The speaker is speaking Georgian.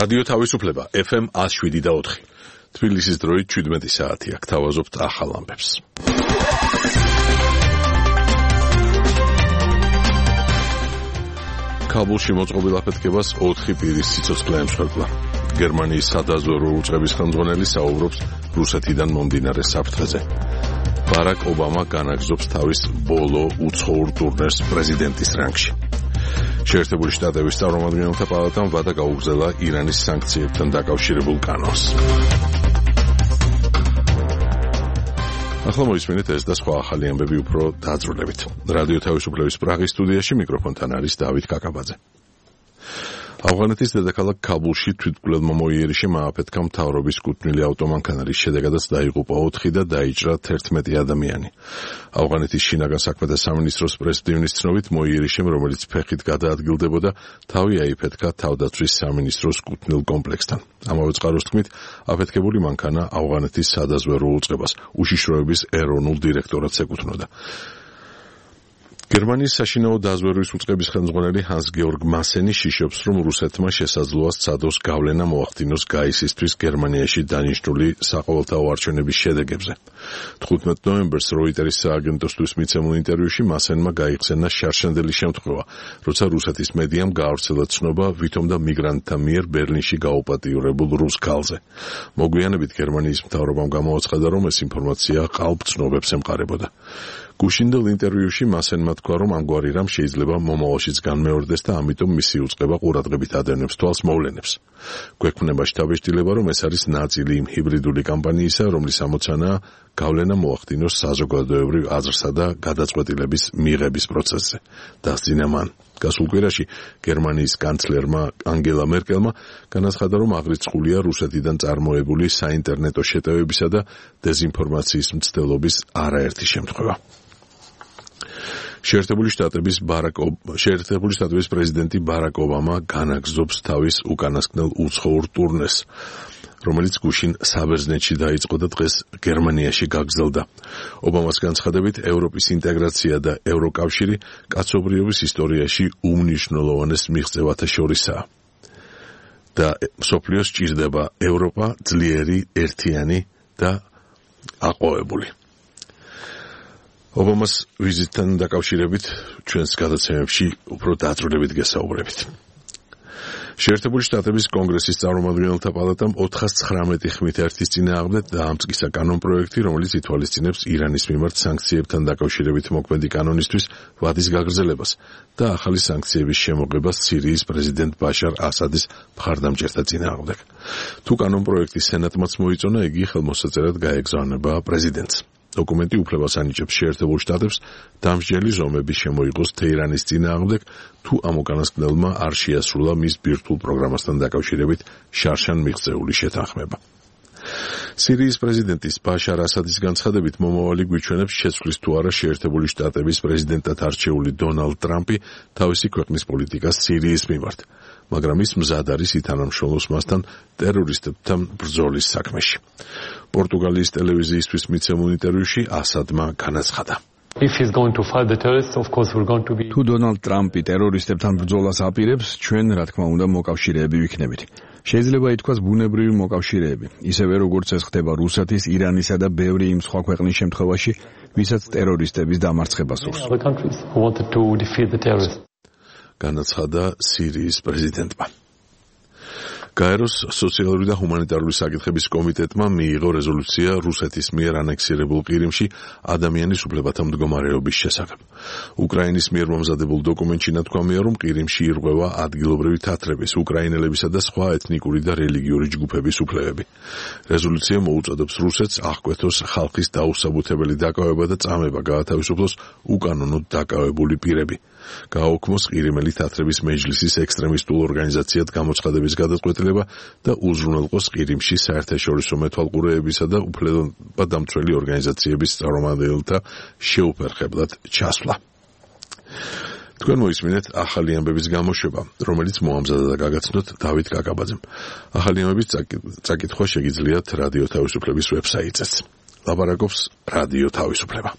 რადიო თავისუფლება FM 107.4. თბილისის დროით 17 საათი აქ თავაზობთ ახალ ამბებს. ქაბულში მოწყობილ აფეთქებას 4 პირის სიცოცხლე ემსხვერპლა. გერმანიის სადაზვერვო უწყების ხელმძღვანელი საუბრობს რუსეთიდან მომდინარე საფრთხეზე. ბარაკ ობამა განაგრძობს თავის ბოლო უცხოურ ტურნეს პრეზიდენტის რანგში. შეერთებული შტატების წარმომადგენელთა პალატამ ვადა გაუგზავნა ირანის სანქციებთან დაკავშირებულ კანონს. ახლა მოისმინეთ ეს და სხვა ახალი ამბები უფრო დაძრულებით. რადიო თავისუფლების პრაღის სტუდიაში მიკროფონთან არის დავით კაკაბაძე. ავღანეთის დედაქალაქ ქაბულში თვითმკვლელმა მოიერიშემ ააფეთქა მთავრობის კუთვნილი ავტომანქანა, რის შედეგადაც დაიღუპა 4 და დაიჭრა 11 ადამიანი. ავღანეთის შინაგან საქმეთა სამინისტროს პრესდივნის ცნობით მოიერიშემ, რომელიც ფეხით გადაადგილდებოდა, თავი აიფეთქა თავდაცვის სამინისტროს კუთვნილ კომპლექსთან. ამავე წყაროს თქმით, აფეთქებული მანქანა ავღანეთის სადაზვერვო უწყებას, უშიშროების ეროვნულ დირექტორატს ეკუთვნოდა. გერმანიის საშინაო დაზვერვის უწყების ხელმძღვანელი ჰანს-გეორგ მასენი შიშობს, რომ რუსეთმა შესაძლოა სცადოს გავლენა მოახდინოს გაისისთვის გერმანიაში დანიშნული საყოველთაო არჩევნების შედეგებზე. 15 ნოემბერს როიტერის სააგენტოსთვის მიცემულ ინტერვიუში მასენმა გაიხსენა შარშანდელი შემთხვევა, როცა რუსეთის მედიამ გაავრცელა ცნობა ვითომ და მიგრანტთა მიერ ბერლინში გაუპატიურებულ რუს ქალზე. მოგვიანებით გერმანიის მთავრობამ გამოაცხადა, რომ ეს ინფორმაცია ყალბ ცნობებს ემყარებოდა. გუშინდელ ინტერვიუში მასენმა თქვა, რომ ამგვარი რამ შეიძლება მომავალშიც განმეორდეს და ამიტომ მისი უწყება ყურადღებით ადევნებს თვალს მოვლენებს. გვექნება შთაბეჭდილება, რომ ეს არის ნაწილი იმ ჰიბრიდული კამპანიისა, რომლის ამოცანაა გავლენა მოახდინოს საზოგადოებრივ აზრსა და გადაწყვეტილების მიღების პროცესზე. დასძინა მან. გასულ კვირაში გერმანიის კანცლერმა ანგელა მერკელმა განაცხადა, რომ აღრიცხულია რუსეთიდან წარმოებული საინტერნეტო შეტევებისა და დეზინფორმაციის მცდელობის არაერთი შემთხვევა. შეერთებული შტატების პრეზიდენტი ბარაკ ობამა განაგრძობს თავის უკანასკნელ უცხოურ ტურნეს, რომელიც გუშინ საბერძნეთში დაიწყო და დღეს გერმანიაში გაგრძელდა. ობამას განცხადებით, ევროპის ინტეგრაცია და ევროკავშირი კაცობრიობის ისტორიაში უმნიშვნელოვანეს მიღწევათა შორისაა. და მსოფლიოს სჭირდება ევროპა ძლიერი, ერთიანი და აყვავებული. ობამას ვიზიტთან დაკავშირებით ჩვენს გადაცემებში უფრო დაძრულებით გესაუბრებით. შეერთებული შტატების კონგრესის წარმომადგენელთა პალატამ 419 ხმით ერთის წინააღმდეგ დაამტკიცა კანონპროექტი, რომელიც ითვალისწინებს ირანის მიმართ სანქციებთან დაკავშირებით მოქმედი კანონისთვის ვადის გაგრძელებას და ახალი სანქციების შემოღებას სირიის პრეზიდენტ ბაშარ ასადის მხარდამჭერთა წინააღმდეგ. თუ კანონპროექტი სენატმაც მოიწონა, იგი ხელმოსაწერად გაეგზავნება პრეზიდენტს. დოკუმენტი უფლებას ანიჭებს შეერთებულ შტატებს დამსჯელი ზომები შემოიღოს თეირანის წინააღმდეგ, თუ ამ უკანასკნელმა არ შეასრულა მის ბირთვულ პროგრამასთან დაკავშირებით შარშან მიღწეული შეთანხმება. სირიის პრეზიდენტის ბაშარ ასადის განცხადებით, მომავალი გვიჩვენებს შეცვლის თუ არა შეერთებული შტატების პრეზიდენტად არჩეული დონალდ ტრამპი თავისი ქვეყნის პოლიტიკას სირიის მიმართ, მაგრამ ის მზად არის ითანამშრომლოს მასთან ტერორისტებთან ბრძოლის საქმეში. პორტუგალიის ტელევიზიისთვის მიცემულ ინტერვიუში ასადმა განაცხადა. თუ დონალდ ტრამპი ტერორისტებთან ბრძოლას აპირებს, ჩვენ რა თქმა უნდა მოკავშირეები ვიქნებით. შეიძლება ითქვას ბუნებრივი მოკავშირეები, ისევე როგორც ეს ხდება რუსეთის, ირანისა და ბევრი იმ სხვა ქვეყნის შემთხვევაში, ვისაც ტერორისტების დამარცხება სურს. განაცხადა სირიის პრეზიდენტმა. გაეროს სოციალური და ჰუმანიტარული საკითხების კომიტეტმა მიიღო რეზოლუცია რუსეთის მიერ ანექსირებულ ყირიმში ადამიანის უფლებათა მდგომარეობის შესახებ. უკრაინის მიერ მომზადებულ დოკუმენტში ნათქვამია, რომ ყირიმში ირღვევა ადგილობრივი თათრების, უკრაინელებისა და სხვა ეთნიკური და რელიგიური ჯგუფების უფლებები. რეზოლუცია მოუწოდებს რუსეთს აღკვეთოს ხალხის დაუსაბუთებელი დაკავება და წამება გაათავისუფლოს უკანონოდ დაკავებული პირები. გააუქმოს ყირიმელი თათრების მეჯლისის ექსტრემისტულ ორგანიზაციად გამოცხადების გადაწყვეტილება და უზრუნველყოს ყირიმში საერთაშორისო მეთვალყურეებისა და უფლებადამცველი ორგანიზაციების წარმომადგენელთა შეუფერხებლად ჩასვლა. თქვენ მოისმინეთ ახალი ამბების გამოშვება, რომელიც მოამზადა და გაგაცნოთ დავით კაკაბაძემ. ახალი ამბების წაკითხვა შეგიძლიათ რადიო თავისუფლების ვებსაიტზეც. ლაპარაკობს რადიო თავისუფლება.